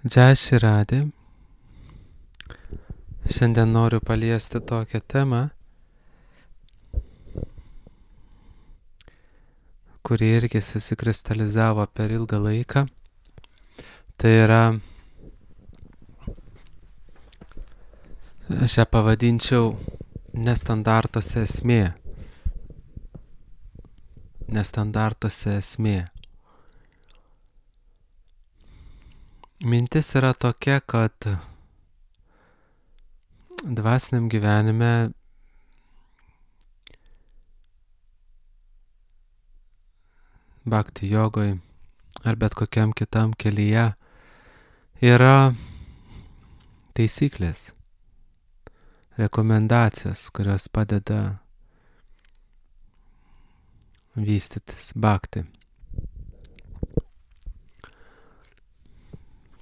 Džai Širadė. Šiandien noriu paliesti tokią temą, kuri irgi susikristalizavo per ilgą laiką. Tai yra, aš ją pavadinčiau nestandartuose esmė. Nestandartuose esmė. Mintis yra tokia, kad dvasiniam gyvenime bhakti jogoj ar bet kokiam kitam kelyje yra taisyklės, rekomendacijos, kurios padeda vystytis bhakti,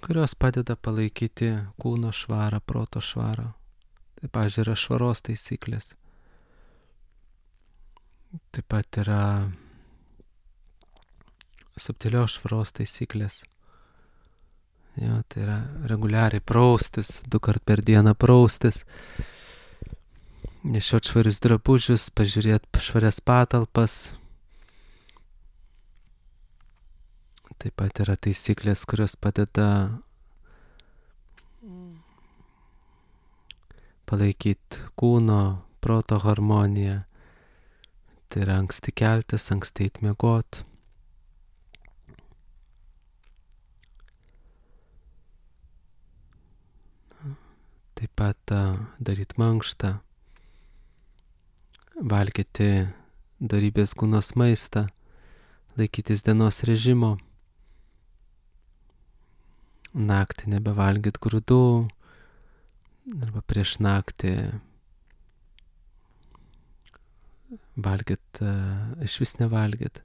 kurios padeda palaikyti kūno švarą, proto švarą. Tai, pavyzdžiui, yra švaros taisyklės. Taip pat yra subtilios švaros taisyklės. Jo, tai yra reguliariai praustis, 2 kart per dieną praustis, nešiot švarius drabužius, pažiūrėti švarias patalpas. Taip pat yra taisyklės, kurios padeda palaikyti kūno, proto harmoniją. Tai yra anksti keltis, anksti eit miegot. Taip pat daryti mankštą, valgyti dorybės kūnos maistą, laikytis dienos režimo, naktį nebevalgyti grūdų, arba prieš naktį valgyt, iš vis nevalgyt.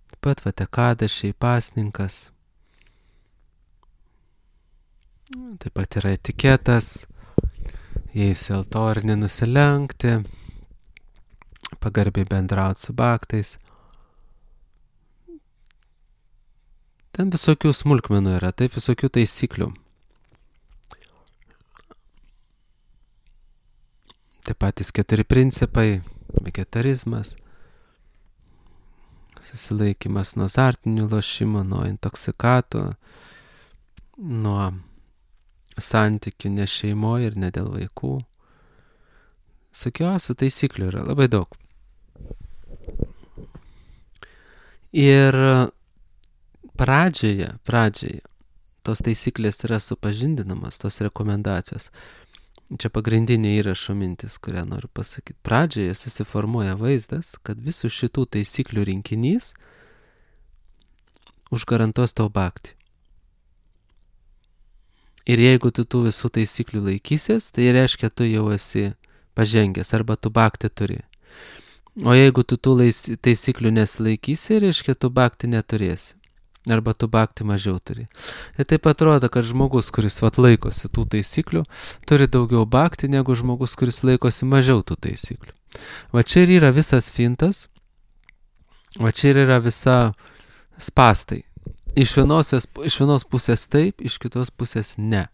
Taip pat vatekadašiai, pasninkas. Taip pat yra etiketas, jais į altorių nenusilenkti, pagarbiai bendrauti su bhaktais. Ten visokių smulkmenų yra, taip visokių taisyklių. Taip patys 4 principai, vegetarizmas, susilaikymas nuo azartinių lošimų, nuo intoksikatų, nuo santykių ne šeimoje ir ne dėl vaikų. Visokiausių taisyklių yra labai daug. Ir pradžioje tos taisyklės yra supažindinamos, tos rekomendacijos. Čia pagrindinė įrašo mintis, kurią noriu pasakyti. Pradžioje susiformuoja vaizdas, kad visų šitų taisyklių rinkinys užgarantuos tau bhakti. Ir jeigu tu tų visų taisyklių laikysies, tai reiškia, tu jau esi pažengęs arba tu bhakti turi. O jeigu tu tų taisyklių nesilaikysi, reiškia, tu bhakti neturėsi. Arba tu bhakti mažiau turi. Ir taip atrodo, kad žmogus, kuris laikosi tų taisyklių, turi daugiau bhakti negu žmogus, kuris laikosi mažiau tų taisyklių. Va čia ir yra visas fintas, va čia ir yra visa spastai. Iš vienos pusės taip, iš kitos pusės ne.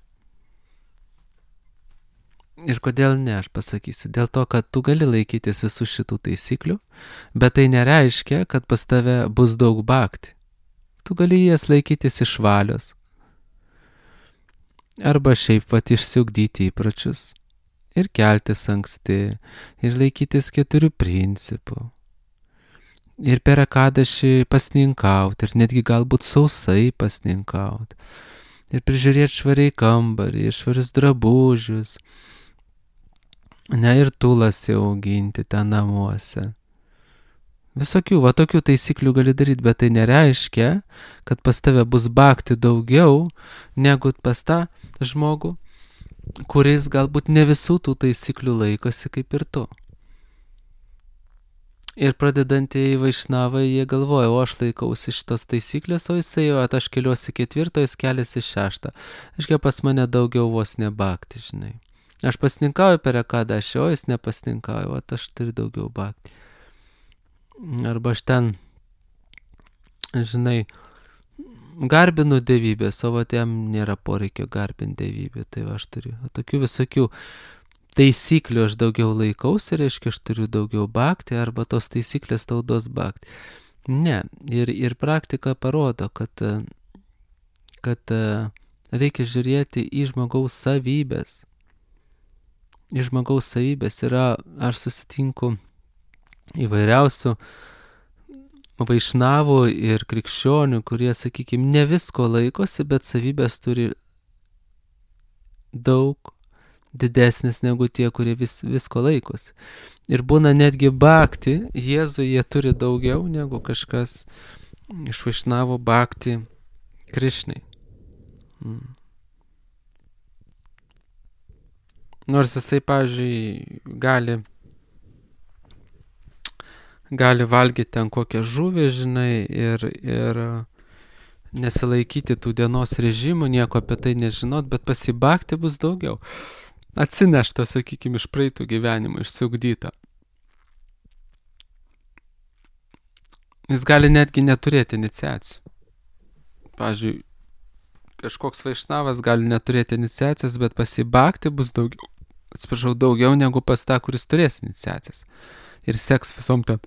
Ir kodėl ne, aš pasakysiu. Dėl to, kad tu gali laikytis visų šitų taisyklių, bet tai nereiškia, kad pas tave bus daug bhakti. Tu gali jas laikytis iš valios. Arba šiaip išsiugdyti įpročius. Ir keltis anksti. Ir laikytis 4 principų. Ir per ekadašį pasninkauti. Ir netgi galbūt sausai pasninkauti. Ir prižiūrėti švariai kambarį, švarius drabužius. Ne, ir tulas auginti ten namuose. Visokių, va tokių taisyklių gali daryti, bet tai nereiškia, kad pas tave bus bhakti daugiau, negu pas tą žmogų, kuris galbūt ne visų tų taisyklių laikosi kaip ir tu. Ir pradedantieji vaišnavai, jie galvoja, o aš laikausi šitos taisyklės, o jisai, aš keliuosi 4, jis keliasi 6. Aiškiai, pas mane daugiau vos ne bhakti, žinai. Aš pasninkauju per ekadašį, o jis nepasninkauju, aš turiu daugiau bhakti. Arba aš ten, žinai, garbinu dievybės, o vat jam nėra poreikio garbinti dievybę. Tai va, aš turiu tokių visokių taisyklių, aš daugiau laikausi, reiškia, aš turiu daugiau bhakti, arba tos taisyklės tau duos bhakti. Ne, ir praktika parodo, kad reikia žiūrėti į žmogaus savybės. Į žmogaus savybės yra, aš susitinku įvairiausių vaišnavų ir krikščionių, kurie, sakykime, ne visko laikosi, bet savybės turi daug didesnis negu tie, kurie visko laikosi. Ir būna netgi bhakti, Jėzui jie turi daugiau negu kažkas iš vaišnavų bhakti Krišnai. Nors jisai, pavyzdžiui, gali valgyti ten kokią žuvį, žinai, ir nesilaikyti tų dienos režimų, nieko apie tai nežinot, bet pasibhakti bus daugiau. Atsinešta, sakykime, iš praeitų gyvenimų, išsiugdyta. Jis gali netgi neturėti iniciacijų. Pavyzdžiui, kažkoks vaišnavas gali neturėti iniciacijos, bet pasibhakti bus daugiau. Daugiau negu pas tą, kuris turės iniciacijas. Ir seks visom ten,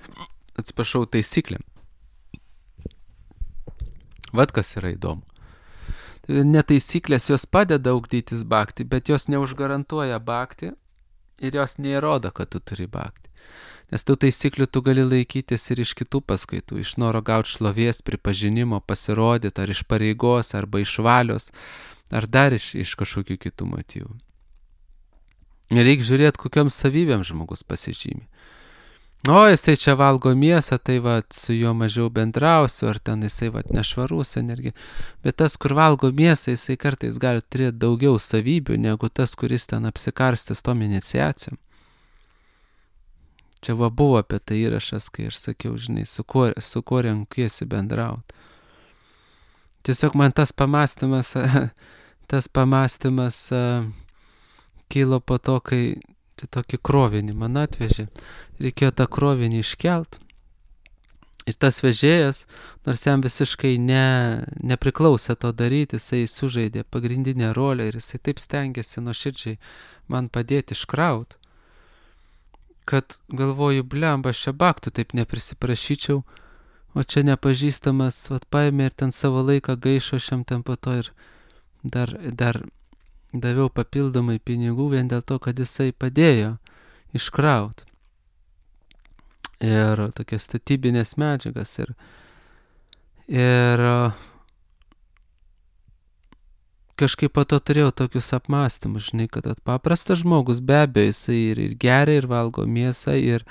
taisyklėm. Vat kas yra įdomu. Netaisyklės jos padeda ugdytis bhakti, bet jos neužgarantuoja bhakti ir jos neįrodo, kad tu turi bhakti. Nes tų taisyklių tu gali laikytis ir iš kitų paskaitų, iš noro gauti šlovės, pripažinimo, pasirodyti, ar iš pareigos, arba iš valios, ar dar iš kažkokių kitų motyvų. Reikia žiūrėti, kokiam savybėm žmogus pasižymi. O, jisai čia valgo mėsą, tai va, su juo mažiau bendrausiu, ar ten jisai va, nešvarus energija. Bet tas, kur valgo mėsą, jisai kartais gali turėti daugiau savybių, negu tas, kuris ten apsikarstęs tom iniciacijom. Čia va buvo apie tai įrašas, kai aš sakiau, žinai, su kuo renkiesi bendrauti. Tiesiog man tas pamastymas kilo po to, kai tokį krovinį man atvežė. Reikėjo tą krovinį iškelt. Ir tas vežėjas, nors jam visiškai nepriklausė to daryti, jisai sužaidė pagrindinę rolę ir jisai taip stengiasi nuoširdžiai man padėti iškraut, kad galvoju, blemba, aš čia baktų taip neprisiprašyčiau, o čia nepažįstamas, paėmė ir ten savo laiką gaišo šiam ten po to ir dar daviau papildomai pinigų vien dėl to, kad jisai padėjo iškraut. Ir tokias statybinės medžiagas. Ir kažkaip po to turėjau tokius apmąstymus, žinai, kad paprastas žmogus be abejo, jisai ir geria, ir valgo mėsą, ir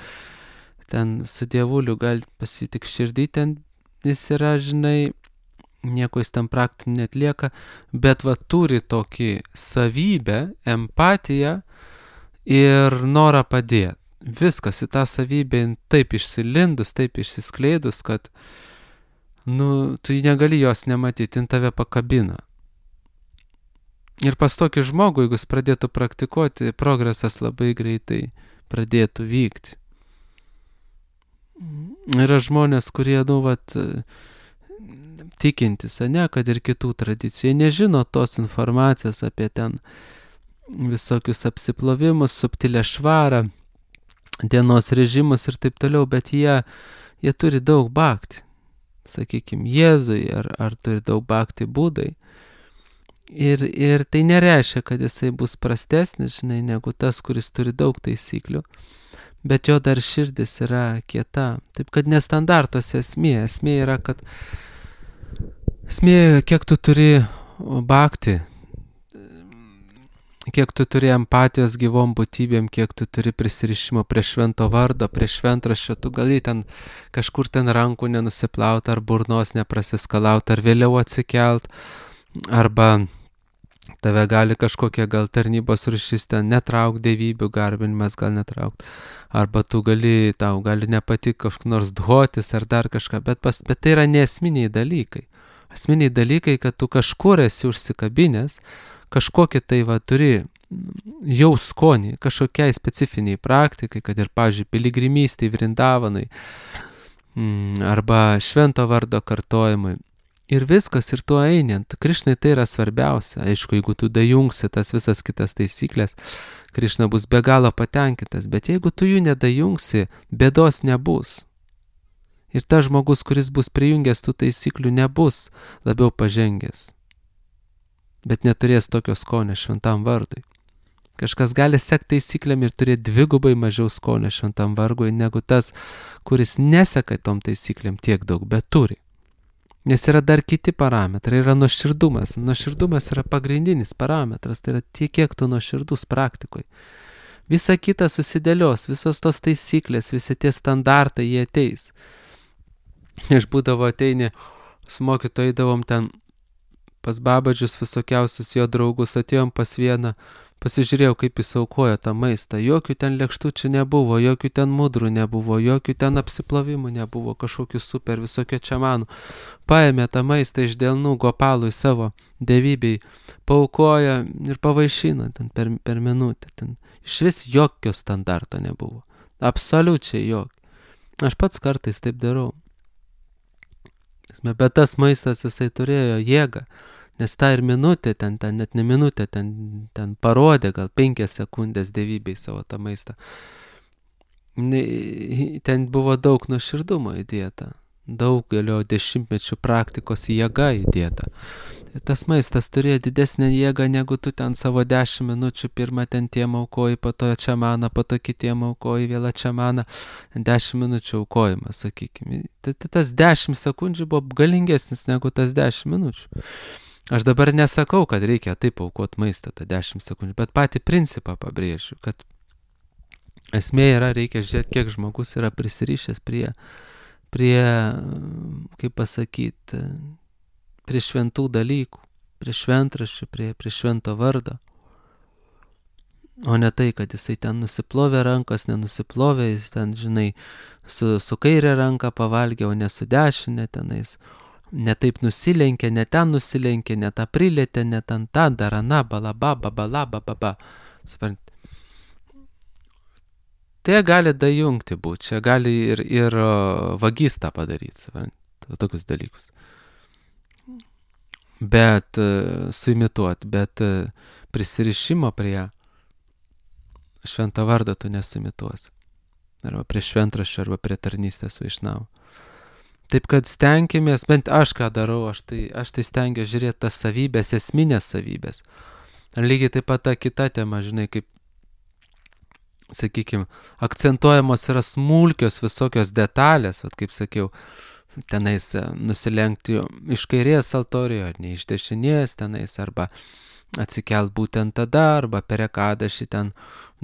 ten su dievuliu gali pasitik širdį, ten jis yra, žinai, nieko jis tam praktinį netlieka, bet va turi tokį savybę, empatiją ir norą padėti. Viskas į tą savybę taip išsilindus, taip išsiskleidus, kad tu negali jos nematyti, jin tave pakabina. Ir pas tokį žmogų, jeigu jis pradėtų praktikuoti, progresas labai greitai pradėtų vykti. Yra žmonės, kurie, tikintis, kad ir kitų tradicijų, jie nežino tos informacijos apie ten visokius apsiplovimus, subtilę švarą, dienos režimus ir taip toliau, bet jie turi daug bhakti, sakykime, Jėzui, ar turi daug bhakti Budai. Ir tai nereiškia, kad jisai bus prastesnis, žinai, negu tas, kuris turi daug taisyklių, bet jo dar širdis yra kieta. Taip kad nestandartos esmė yra, kad esmė, kiek tu turi bhakti, kiek tu turi empatijos gyvom būtybėm, kiek tu turi prisirišimo prie švento vardo, prie šventraščio, tu gali ten kažkur ten rankų nenusiplauti, ar burnos neprasiskalauti, ar vėliau atsikelt, arba tave gali kažkokia gal tarnybos rūšis ten netrauk, dievybių garbinimas gal netrauk, arba tau gali nepatikti kažkoks nors dhotis ar dar kažką, bet tai yra neesminiai dalykai. Esminiai dalykai, kad tu kažkur esi užsikabinęs, kažkokį tai turi jau skonį, kažkokiai specifiniai praktikai, kad ir, pavyzdžiui, piligrimystei Vrindavanui, arba švento vardo kartojimui, Ir viskas, ir tu einant. Krišnai tai yra svarbiausia. Aišku, jeigu tu dajungsi tas visas kitas taisyklės, Krišna bus be galo patenkintas. Bet jeigu tu jų nedajungsi, bėdos nebus. Ir tas žmogus, kuris bus prijungęs tų taisyklių, nebus labiau pažengęs. Bet neturės tokio skonio šventam vardui. Kažkas gali sekti taisyklėm ir turėti dvigubai mažiau skonio šventam vargui, negu tas, kuris neseka tom taisyklėm tiek daug, bet turi. Nes yra dar kiti parametrai, yra nuoširdumas. Nuoširdumas yra pagrindinis parametras, tai yra tiek, kiek tu nuoširdus praktikoje. Visa kita susidėlios, visos tos taisyklės, visi tie standartai, jie ateis. Aš būdavo ateini, su mokytoju eidavom ten pas Babadžius visokiausius jo draugus, atėjom pas vieną, pasižiūrėjau, kaip jis aukojo tą maistą. Jokių ten lėkštučių nebuvo, jokių ten mudrų nebuvo, jokių ten apsiplovimų nebuvo, kažkokių super visokio čamanų. Paėmė tą maistą iš delnų Gopalui savo dievybei, paaukojo ir pavaišino ten per minutę. Ten iš vis jokio standarto nebuvo. Absoliučiai jokio. Aš pats kartais taip darau. Bet tas maistas jisai turėjo jėgą. Nes tą ir minutę, ten net ne minutę, ten parodė gal 5 sekundės dievybei savo tą maistą. Ten buvo daug nuoširdumo įdėta, daug galio dešimtmečių praktikos jėga įdėta. Ir tas maistas turėjo didesnę jėgą, negu tu ten savo 10 minučių, pirmą ten tiem aukoji, po to čamaną, po to kitiem aukoji, vėl čamaną, 10 minučių aukojimas, sakykime. Tas 10 sekundžių buvo galingesnis negu tas 10 minučių. Aš dabar nesakau, kad reikia taip aukoti maistą tą 10 sekundžių, bet patį principą pabrėžiu, kad esmė yra, reikia žiūrėti, kiek žmogus yra prisirišęs prie kaip pasakyti, prie šventų dalykų, prie šventraščių, prie švento vardo. O ne tai, kad jisai ten nusiplovė rankas, nenusiplovė, jis ten, žinai, su kairė ranka pavalgė, o ne su dešinė tenais. Ne taip nusilenkė, ne ten nusilenkė, ne tą prilėtė, ne ten tą darana, balaba. Suprant. Tai gali dajungti būti, čia gali ir vagystą padaryti, suprant, tokius dalykus. Bet suimituoti, bet prisirišimo prie švento vardo tu nesuimituosi. Arba prie šventraščio, arba prie tarnystės vaišnavų. Taip kad stenkimės, bent aš ką darau, aš tai stengiu žiūrėti tas savybės, esminės savybės. Lygiai taip pat ta kita tema, žinai, kaip, sakykime, akcentuojamos yra smulkios visokios detalės, kaip sakiau, tenais nusilenkti iš kairės altorijoje, ar ne iš dešinės tenais, arba atsikelt būtent tada, arba per ekadašį ten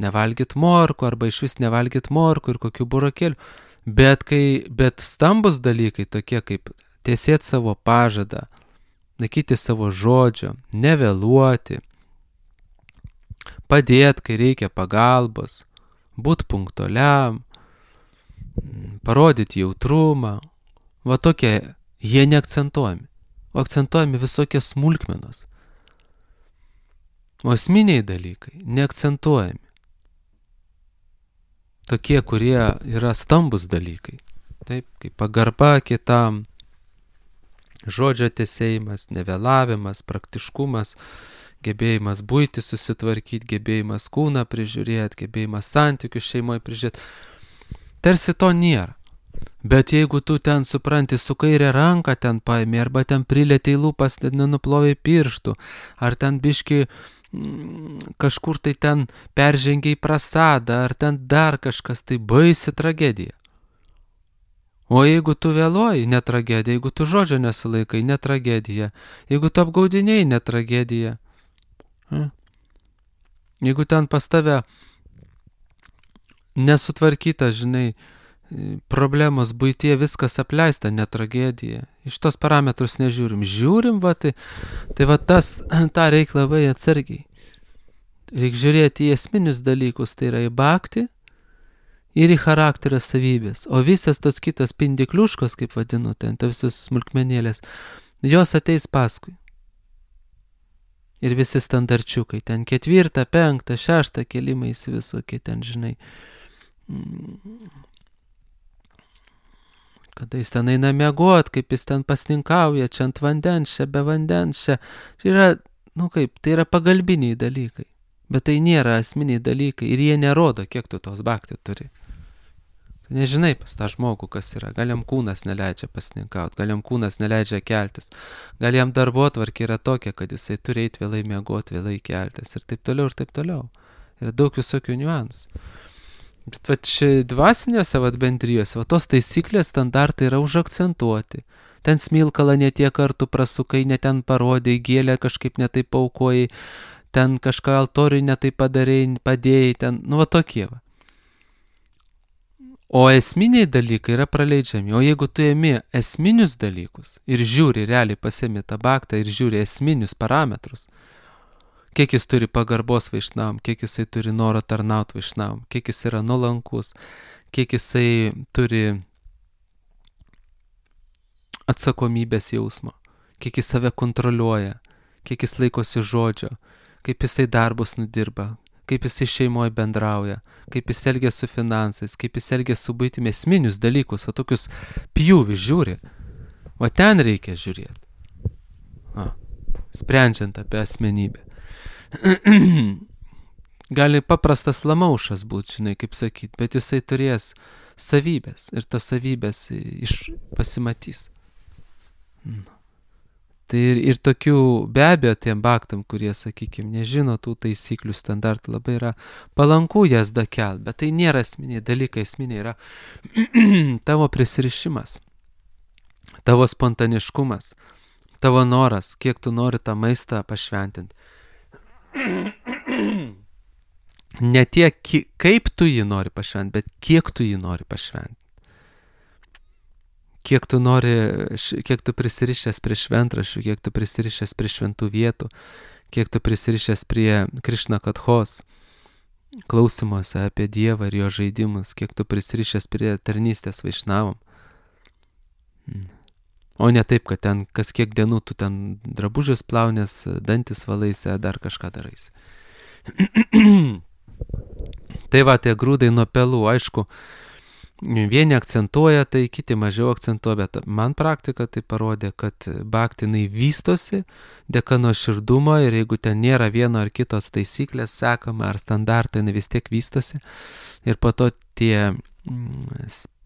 nevalgyt morkų, arba iš vis nevalgyt morkų ir kokių burokėlių. Bet stambus dalykai tokie kaip tiesėti savo pažadą, laikyti savo žodžio, nevėluoti, padėti, kai reikia pagalbos, būti punktualiam, parodyti jautrumą. Va tokie, jie neakcentuojami, o akcentuojami visokie smulkmenos. O esminiai dalykai neakcentuojami. Tokie, kurie yra stambus dalykai. Taip, kaip pagarba kitam, žodžio tesėjimas, nevėlavimas, praktiškumas, gebėjimas buitį susitvarkyti, gebėjimas kūną prižiūrėti, gebėjimas santykius šeimoje prižiūrėti. Tarsi to nėra. Bet jeigu tu ten supranti, su kairė ranka ten paėmė, arba ten prilėtė į lūpas, ten nenuplovė pirštų, ar ten biški kažkur tai ten peržengia į prasadą, ar ten dar kažkas, tai baisi tragedija. O jeigu tu vėluoji, ne tragedija, jeigu tu žodžio nesilaikai, ne tragedija, jeigu tu apgaudinėjai, ne tragedija. Jeigu ten pas tave nesutvarkyta, žinai, problemos buitie, viskas apleista, ne tragedija. Iš tos parametrus nežiūrim. Žiūrim, va, tai va tą reikia labai atsargiai. Reikia žiūrėti į esminius dalykus, tai yra į bhaktį ir į charakterio savybės. O visas tos kitos pindikliuškos, kaip vadinu, ten visos smulkmenėlės, jos ateis paskui. Ir visi standarčiukai, ten 4, 5, 6 kelimais visokie ten, žinai, kada jis ten eina miegot, kaip jis ten pasninkauja, čia ant vandens, čia be vandens, čia yra, tai yra pagalbiniai dalykai. Bet tai nėra esminiai dalykai ir jie nerodo, kiek tu tos bhakti turi. Tu nežinai pas tą žmogų, kas yra. Gal jam kūnas neleidžia pasninkauti, gal jam kūnas neleidžia keltis, gal jam darbotvarkė yra tokia, kad jisai turi eiti vėlai miegoti, vėlai keltis ir taip toliau ir taip toliau. Yra daug visokių niuansų. Bet dvasiniuose bendrijose, tos taisyklės, standartai yra užakcentuoti. Ten smilkalą ne tiek kartų prasukai, ne ten parodai, gėlę kažkaip netai paukojai, ten kažką altoriui netai padarėjai, padėjai, ten, tokie. O esminiai dalykai yra praleidžiami. O jeigu tu ėmi esminius dalykus ir žiūri, realiai pasiemi tą bhaktą ir žiūri esminius parametrus, kiek jis turi pagarbos vaišnavam, kiek jisai turi noro tarnauti vaišnavam, kiek jis yra nuolankus, kiek jisai turi atsakomybės jausmo, kiek jis save kontroliuoja, kiek jis laikosi žodžio, kaip jisai darbus nudirba, kaip jisai šeimoje bendrauja, kaip jis elgia su finansais, kaip jis elgia su buitimi, esminius dalykus, o tokius pjūvis žiūri. O ten reikia žiūrėti. Sprendžiant apie asmenybę. Gali paprastas lamaušas būti, žinai, kaip sakyti, bet jisai turės savybės ir tas savybės pasimatys. Tai ir tokių, be abejo, tiem bhaktam, kurie, sakykime, nežino tų taisyklių standartų, labai yra palanku jas dakelt, bet tai nėra esminiai dalykai, esminiai yra tavo prisirišimas, tavo spontaniškumas, tavo noras, kiek tu nori tą maistą pašventinti. Ne tiek, kaip tu jį nori pašventi, bet kiek tu jį nori pašventi. Kiek tu prisirišęs prie šventraščių, kiek tu prisirišęs prie šventų vietų, kiek tu prisirišęs prie Krišna kathos, klausimuose apie Dievą ir jo žaidimus, kiek tu prisirišęs prie tarnystės vaišnavam. O ne taip, kad ten kas kiek dienų tu ten drabužius plaunės, dantis valaisi, dar kažką daraisi. Tai tie grūdai nuo pelų, aišku, vieni akcentuoja, tai kiti mažiau akcentuoja, bet man praktika tai parodė, kad bhaktinai vystosi dėka nuoširdumo ir jeigu ten nėra vieno ar kitos taisyklės sekama ar standartai, vis tiek vystosi ir po to tie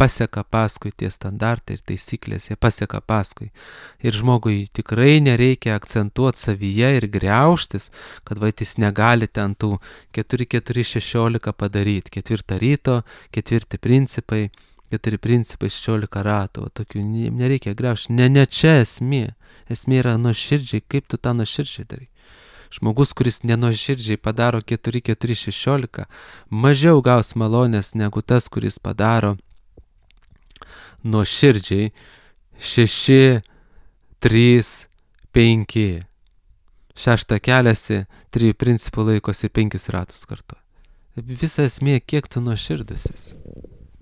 paseka paskui tie standartai ir taisyklės, jie paseka paskui. Ir žmogui tikrai nereikia akcentuoti savyje ir griauštis, kad jis negali ten tų 4-4-16 padaryti. 4 ryto, 4 principai, 4 principai 16 ratų. Tokių nereikia griaušti. Ne čia esmė. Esmė yra nuoširdžiai, kaip tu tą nuoširdžiai darai. Žmogus, kuris nenuoširdžiai padaro 4-4-16, mažiau gaus malonės negu tas, kuris padaro nuoširdžiai 6-3-5. 6 keliasi, 3 principų laikosi 5 ratus kartu. Visa esmė, kiek tu nuoširdusis.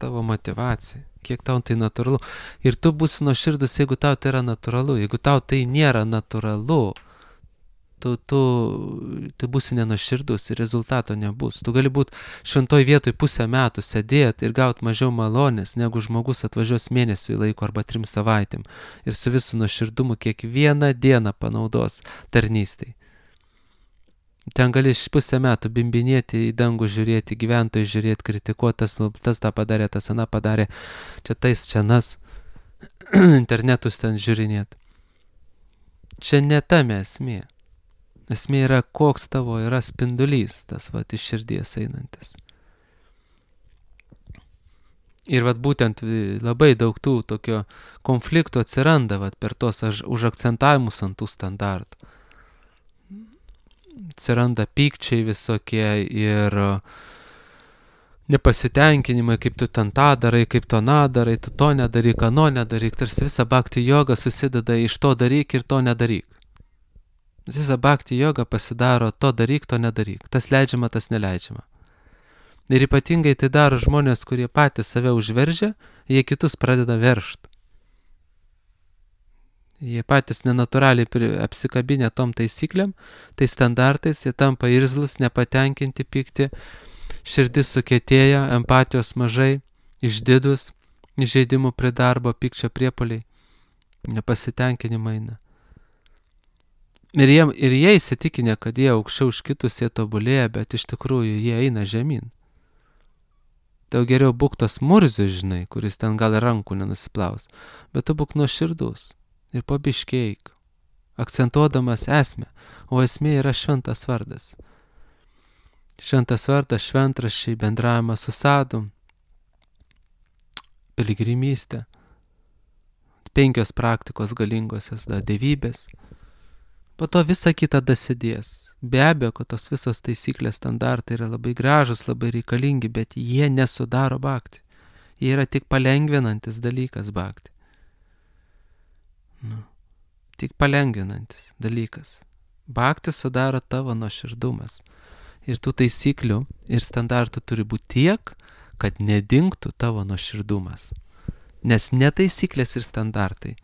Tavo motivacija, kiek tau tai natūralu. Ir tu būsi nuoširdus, jeigu tau tai yra natūralu. Jeigu tau tai nėra natūralu, tu būsi nenuoširdus ir rezultato nebus. Tu gali būti šventoj vietoj pusę metų sėdėti ir gauti mažiau malonės, negu žmogus atvažiuos mėnesiui laiko arba 3 savaitėm ir su visų nuoširdumu kiekvieną dieną panaudos tarnystei. Ten gali pusę metų bimbinėti, į dangų žiūrėti, gyventojai žiūrėti, kritikuoti, tas tą padarė, tas aną padarė, čia nas, internetus ten žiūrinėti. Čia ne tame esmė. Esmė yra, koks tavo yra spindulys, tas iš širdies einantis. Ir būtent labai daug tų tokio konfliktų atsiranda per tos užakcentavimus ant tų standartų. Atsiranda pykčiai visokie ir nepasitenkinimai, kaip tu ten tą darai, kaip to darai, tu to nedaryk, ano nedaryk. Tarsi visa bhakti joga susideda iš to daryk ir to nedaryk. Visa bhakti joga pasidaro to daryk, to nedaryk. Tas leidžiama, tas neleidžiama. Ir ypatingai tai daro žmonės, kurie patys save užveržia, jie kitus pradeda veržti. Jie patys nenatūraliai apsikabinę tom taisyklėm, tai standartais, jie tampa irzlus, nepatenkinti, pikti, širdis sukietėja, empatijos mažai, išdidus, žaidimų prie darbo, pykčio priepoliai, nepasitenkinimai eina. Ir jie įsitikinę, kad jie aukščiau už kitus, jie tobulėja, bet iš tikrųjų jie eina žemyn. Tau geriau būk tos murzių, žinai, kuris ten gal rankų nenusiplaus, bet tu būk nuoširdus ir pabiškėk, akcentuodamas esmę, o esmė yra šventas vardas. Šventas vardas, šventraščiai, bendravimas su sadum, piligrimystė, 5 praktikos galingosios, dievybės. Po to visa kita dasidės. Be abejo, kad tos visos taisyklės, standartai yra labai gražus, labai reikalingi, bet jie nesudaro bhakti. Jie yra tik palengvinantis dalykas bhakti. Tik palengvinantis dalykas. Bhakti sudaro tavo nuoširdumas. Ir tų taisyklių ir standartų turi būti tiek, kad nedingtų tavo nuoširdumas. Nes ne taisyklės ir standartai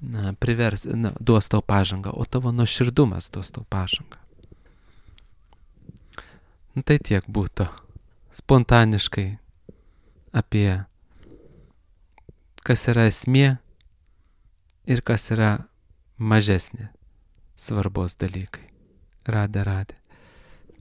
duos tau pažangą, o tavo nuoširdumas duos tau pažangą. Tai tiek būtų spontaniškai apie kas yra esmė ir kas yra mažesnė svarbos dalykai. Radė.